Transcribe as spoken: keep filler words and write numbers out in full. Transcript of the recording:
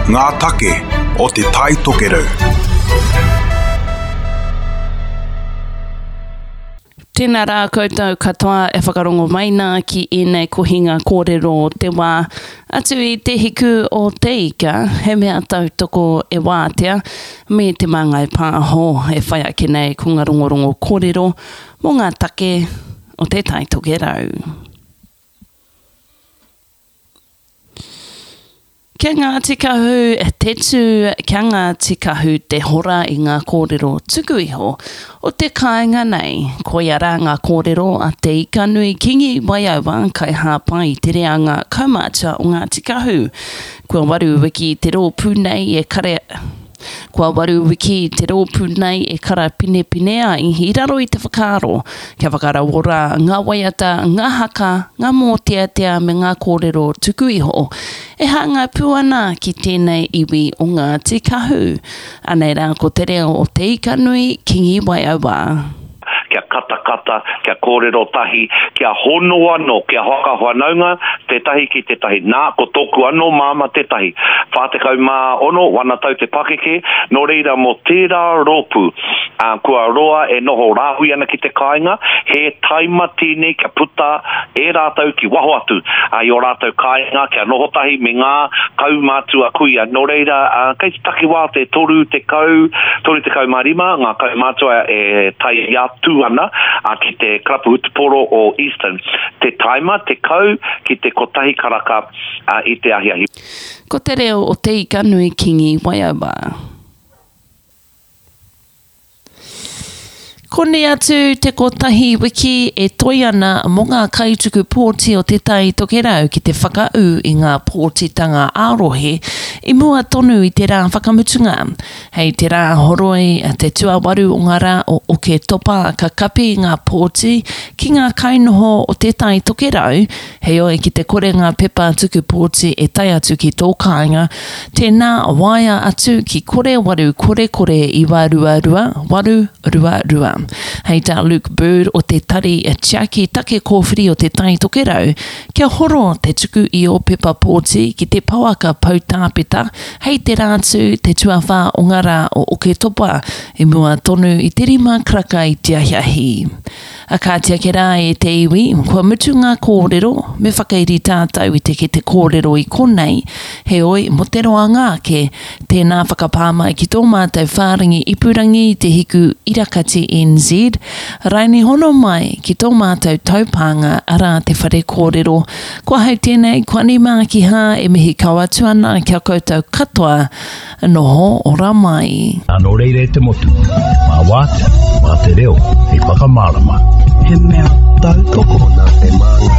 Ngā take o Te Tai Tokerau. Tēnā rā koutou katoa e whakarongo mai nā ki ēnei kohinga kōrero o te wā. Atu i Te Hiku o Te Ika, he mea tautoko e Wātea me Te Māngai Pāho e whai ake nei ko ngā rongorongo kōrero mō ngā take o Te Tai Tokerau. Kia Ngāti Kahu te tū, kia Ngāti Kahu te hora i ngā kōrero tuku iho o te kāinga nei. Koia rā ngā kōrero a Te Ikanui Kingi Waiaua kaihāpai i te reanga kaumātua o Ngāti Kahu. Kua waru wiki te rōpū nei e kare... Kua waru wiki te rōpū nei e karapinepine ai i raro i te whakaaro kia whakarauora ngā waiata, ngā haka, ngā mōteatea me ngā kōrero tuku iho e hāngai pū ana ki tēnei iwi o Ngāti Kahu. Anei rā ko te reo o Te Ikanui Kingi Waiaua. Kia katakata, kia kōrero tahi, kia hono anō, kia whakawhanaunga tētahi ki tētahi. Nā, ko tōku anō māmā tētahi. Whā tekau mā ono, wana tau te pakeke, nō reira mō tērā rōpū, ā, kua roa e noho rāhui ana ki te kāinga, he taima tēnei kia puta e rātou ki waho atu i ō rātou kāinga, kia noho tahi me ngā kaumātua kuia. Nō reira, ā, kei te takiwā te toru tekau, toru tekau mā rima ngā kaumātua e tae atu ana ki te karapu hutupōro o Eastern. Te taima tekau ki te kotahi karaka i te ahiahi. Ko te reo o Te Ikanui Kingi Waiaua. Koni atu te kotahi wiki e toi ana mō ngā kaituku pōti o Te Tai Tokerau ki te whakaū i ngā pōtitanga ā-rohe i mua tonu i te rā whakamutunga. Hei te rā horoi te tuawaru o ngā rā o Oketopa ka kapi ngā pōti ki ngā kainoho o Te Tai Tokerau, heoi ki te kore ngā pepa tuku pōti e tae atu ki tō kāinga, tēnā waea atu ki kore waru kore kore iwa rua rua waru rua rua. Hei tā Luke Bird o te Tari Tiaki Take Kōwhiri o Te Tai Tokerau, kia horo te tuku i ō pepa pōti ki te pouaka poutāpeta hei te Rātū te tuawhā o ngā rā o Oketopa i mua tonu i te rima karaka i te ahiahi. A kāti ake rā e te iwi, kua mutu ngā kōrero, me whakairi tātou i te kete kōrero i konei, heoi, mō te roanga ake, tēnā whakapā mai ki tō mātou whārangi ipurangi i te hiku irakati N Z, raini hono mai ki tō mātou taupānga arā te whare kōrero. Ko ahau tēnei, ko Ani Mākihā e mihi kau atu ana kia koutou katoa, noho ora mai. Nā reira e te motu, mā wātea, mā te reo, hei whakamārama. He mea tautoko nā Te Māngai